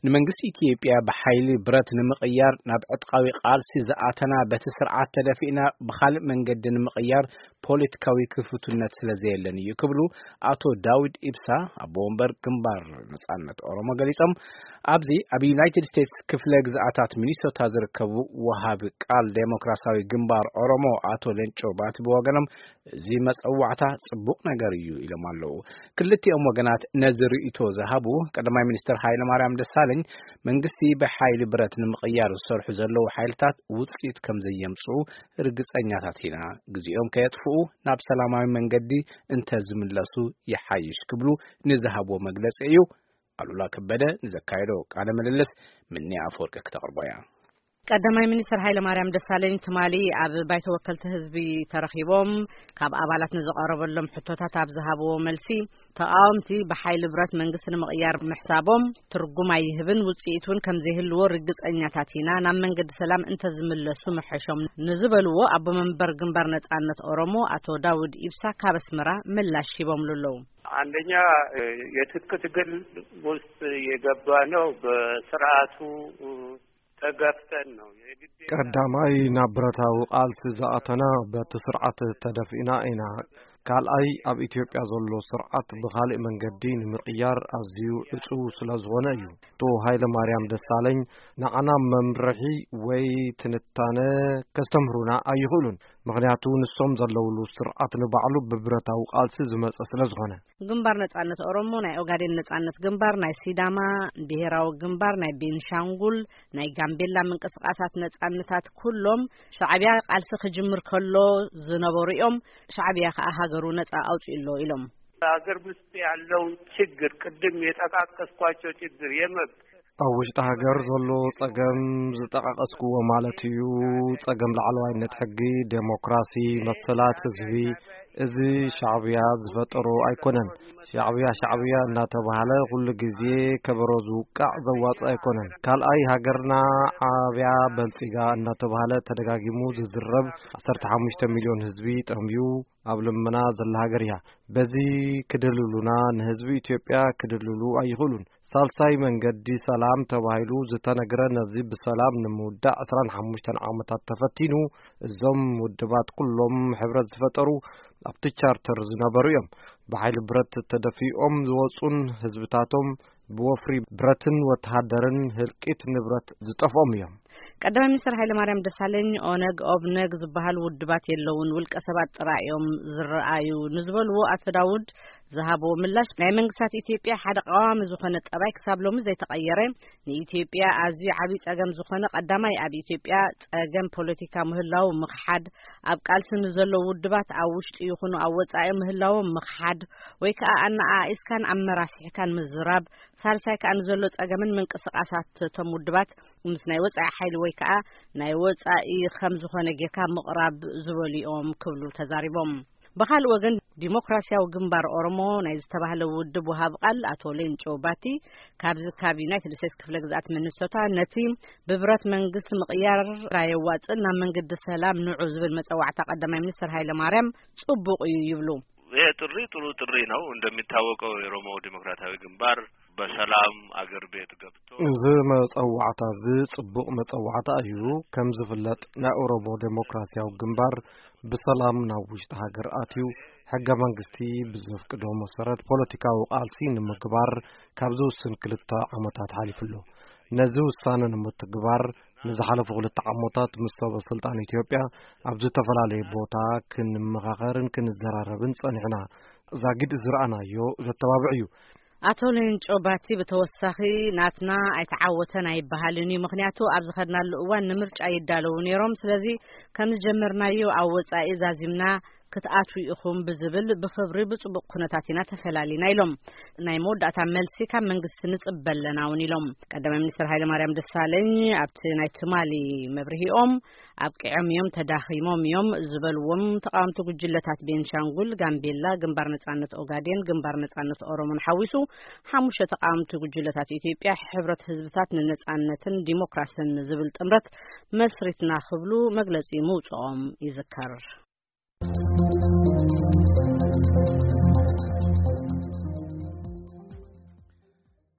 ንመንግስቲ ኢትዮጵያ ብሓይሊ ብረት ንምቕያር ናብ ዕጥቃዊ ቃልሲ ዝኣተና በቲ ስርዓት ተደፊእና ብኻልእ መንገዲ ንምቕያር ፖለቲካዊ ክፉትነት ስለ ዘየለን እዩ ክብሉ ኣቶ ዳዊድ ኢብሳ ኣቦ ወንበር ግንባር ነጻነት ኦሮሞ ገሊጾም። ኣብዚ ኣብ ዩናይትድ ስቴትስ ክፍለ ግዝኣታት ሚኒሶታ ዝርከቡ ወሃቢ ቃል ዴሞክራሲያዊ ግንባር ኦሮሞ ኣቶ ሌንጮ ባቲ ብወገኖም እዚ መጸዋዕታ ጽቡቕ ነገር እዩ ኢሎም ኣለዉ። ክልቲኦም ወገናት ነዚ ርእይቶ ዝሃቡ ቀዳማይ ሚኒስትር ሃይለማርያም ደሳለኝ መንግስቲ ብሓይሊ ብረት ንምቕያር ዝሰርሑ ዘለዉ ሓይልታት ውጽኢት ከም ዘየምጽኡ ርግጸኛታት ኢና። ግዜኦም ከየጥፍኡ ናብ ሰላማዊ መንገዲ እንተ ዝምለሱ ይሓይሽ ክብሉ ንዝሃብዎ መግለጺ እዩ። ኣሉላ ከበደ ንዘካየዶ ቃለ ምልልስ ምኒ ኣፈወርቂ ክተቕርቦ እያ። ቀዳማይ ሚኒስትር ሃይለማርያም ደሳለኝ ትማሊ ኣብ ባይቶ ወከልቲ ህዝቢ ተረኺቦም ካብ ኣባላት ንዝቐረበሎም ሕቶታት ኣብ ዝሃብዎ መልሲ፣ ተቃወምቲ ብሓይሊ ብረት መንግስቲ ንምቕያር ምሕሳቦም ትርጉም ኣይህብን፣ ውጽኢት እውን ከም ዘይህልዎ ርግጸኛታት ኢና፣ ናብ መንገዲ ሰላም እንተዝምለሱ ምሐሾም ንዝበልዎ ኣቦ መንበር ግንባር ነጻነት ኦሮሞ ኣቶ ዳውድ ኢብሳ ካብ ኣስመራ ምላሽ ሂቦምሉ ኣለዉ። አንደኛ የትጥቅ ትግል ውስጥ የገባ ነው በስርዓቱ ተገፍተን ነው። የግድ ቀዳማይ ናብ ብረታዊ ቃልሲ ዝኣተና በቲ ስርዓት ተደፊእና ኢና። ካልኣይ ኣብ ኢትዮጵያ ዘሎ ስርዓት ብኻልእ መንገዲ ንምቕያር ኣዝዩ ዕጹው ስለ ዝኾነ እዩ። ኣቶ ሃይለ ማርያም ደሳለኝ ንዓና መምርሒ ወይ ትንታነ ከስተምህሩና ኣይኽእሉን። ምኽንያቱ ንሶም ዘለውሉ ስርዓት ንባዕሉ ብብረታዊ ቃልሲ ዝመጸ ስለ ዝኾነ። ግንባር ነጻነት ኦሮሞ፣ ናይ ኦጋዴን ነጻነት ግንባር፣ ናይ ሲዳማ ብሄራዊ ግንባር፣ ናይ ቤንሻንጉል፣ ናይ ጋምቤላ ምንቅስቃሳት ነጻነታት ኩሎም ሻዕቢያ ቃልሲ ክጅምር ከሎ ዝነበሩ እዮም። ሻዕቢያ ከኣ ሃገሩ ነጻ ኣውጺኡ ኣሎ ኢሎም። ሀገር ውስጥ ያለው ችግር ቅድም የጠቃቀስኳቸው ችግር የመብት ኣብ ውሽጢ ሃገር ዘሎ ጸገም ዝጠቃቀስኩዎ ማለት እዩ። ጸገም ላዕለዋይነት ሕጊ፣ ዴሞክራሲ፣ መሰላት ህዝቢ፣ እዚ ሻዕብያ ዝፈጠሮ ኣይኮነን። ሻዕብያ ሻዕብያ እናተባህለ ኩሉ ግዜ ከበሮ ዝውቃዕ ዘዋጽእ ኣይኮነን። ካልኣይ ሃገርና ዓብያ በልጺጋ እናተባህለ ተደጋጊሙ ዝዝረብ ዓሰርተ ሓሙሽተ ሚልዮን ህዝቢ ጠምዩ ኣብ ልመና ዘላ ሃገር እያ። በዚ ክድልሉና ንህዝቢ ኢትዮጵያ ክድልሉ ኣይኽእሉን። ሳልሳይ መንገዲ ሰላም ተባሂሉ ዝተነግረ ነዚ ብሰላም ንምውዳእ ዕስራን ሓሙሽተን ዓመታት ተፈቲኑ እዞም ውድባት ኩሎም ሕብረት ዝፈጠሩ ኣብቲ ቻርተር ዝነበሩ እዮም። ብሓይሊ ብረት ተደፊኦም ዝወጹን ህዝብታቶም ብወፍሪ ብረትን ወተሃደርን ህልቂት ንብረት ዝጠፍኦም እዮም። ቀዳማይ ሚኒስትር ሃይለማርያም ደሳለኝ ኦነግ ኦብነግ ዝበሃል ውድባት የለውን፣ ውልቀ ሰባት ጥራይ እዮም ዝረኣዩ ንዝበልዎ ኣቶ ዳውድ ዝሃብዎ ምላሽ ናይ መንግስታት ኢትዮጵያ ሓደ ቀዋሚ ዝኾነ ጠባይ ክሳብ ሎሚ ዘይተቐየረ ንኢትዮጵያ ኣዝዩ ዓብዪ ጸገም ዝኾነ ቀዳማይ ኣብ ኢትዮጵያ ጸገም ፖለቲካ ምህላው ምኽሓድ፣ ኣብ ቃልሲ ንዘለዉ ውድባት ኣብ ውሽጢ ይኹኑ ኣብ ወጻኢ ምህላዎም ምኽሓድ ወይ ከኣ ኣነኣኢስካን ኣመራሲሕካን ምዝራብ፣ ሳልሳይ ከኣ ንዘሎ ጸገምን ምንቅስቃሳት እቶም ውድባት ምስ ናይ ወጻኢ ሓይሊ ወይ ከኣ ናይ ወጻኢ ከም ዝኾነ ጌርካ ምቕራብ ዝበሉ እዮም ክብሉ ተዛሪቦም። ብኻልእ ወገን ዲሞክራሲያዊ ግንባር ኦሮሞ ናይ ዝተባህለ ውድብ ወሃብ ቃል ኣቶ ሌንጮ ባቲ ካብዚ ካብ ዩናይትድ ስቴትስ ክፍለ ግዝኣት ሚኒሶታ ነቲ ብብረት መንግስቲ ምቕያር ኣየዋጽእን ናብ መንገዲ ሰላም ንዑ ዝብል መጸዋዕታ ቀዳማይ ሚኒስትር ሃይለ ማርያም ጽቡቕ እዩ ይብሉ። ይሄ ጥሪ ጥሩ ጥሪ ነው። እንደሚታወቀው የኦሮሞ ዲሞክራሲያዊ ግንባር በሰላም አገር ቤት ገብቶ እዚ መጸዋዕታ እዚ ጽቡቕ መጸዋዕታ እዩ። ከም ዝፍለጥ ናይ ኦሮሞ ዴሞክራሲያዊ ግንባር ብሰላም ናብ ውሽጢ ሃገር ኣትዩ ሕገ መንግስቲ ብዘፍቅዶ መሰረት ፖለቲካዊ ቃልሲ ንምግባር ካብ ዝውስን ክልተ ዓመታት ሓሊፉ ኣሎ። ነዚ ውሳነ ንምትግባር ንዝሓለፉ ክልተ ዓመታት ምስ ሰበ ስልጣን ኢትዮጵያ ኣብ ዝተፈላለየ ቦታ ክንመኻኸርን ክንዘራረብን ጸኒሕና። ዛጊድ ዝረኣናዮ ዘተባብዕ እዩ። ኣቶ ሌንጮ ባቲ ብተወሳኺ ናትና ኣይተዓወተን ኣይበሃልን እዩ። ምኽንያቱ ኣብ ዝኸድናሉ እዋን ንምርጫ ይዳለዉ ነይሮም። ስለዚ ከም ዝጀመርናዮ ኣብ ወጻኢ ዛዚምና ክትኣትዉ ኢኹም ብዝብል ብኽብሪ ብጽቡቕ ኩነታት ኢና ተፈላሊና ኢሎም። ናይ መወዳእታ መልሲ ካብ መንግስቲ ንጽበ ኣለና እውን ኢሎም። ቀዳማይ ሚኒስትር ሃይለማርያም ደሳለኝ ኣብቲ ናይ ትማሊ መብርሂኦም ኣብቂዖም እዮም፣ ተዳኺሞም እዮም ዝበልዎም ተቃወምቲ ጉጅለታት ቤንሻንጉል፣ ጋምቤላ፣ ግንባር ነጻነት ኦጋዴን፣ ግንባር ነጻነት ኦሮሞን ሓዊሱ ሓሙሽተ ተቃወምቲ ጉጅለታት ኢትዮጵያ ሕብረት ህዝብታት ንነጻነትን ዲሞክራስን ዝብል ጥምረት መስሪትና ክብሉ መግለጺ ምውጽኦም ይዝከር።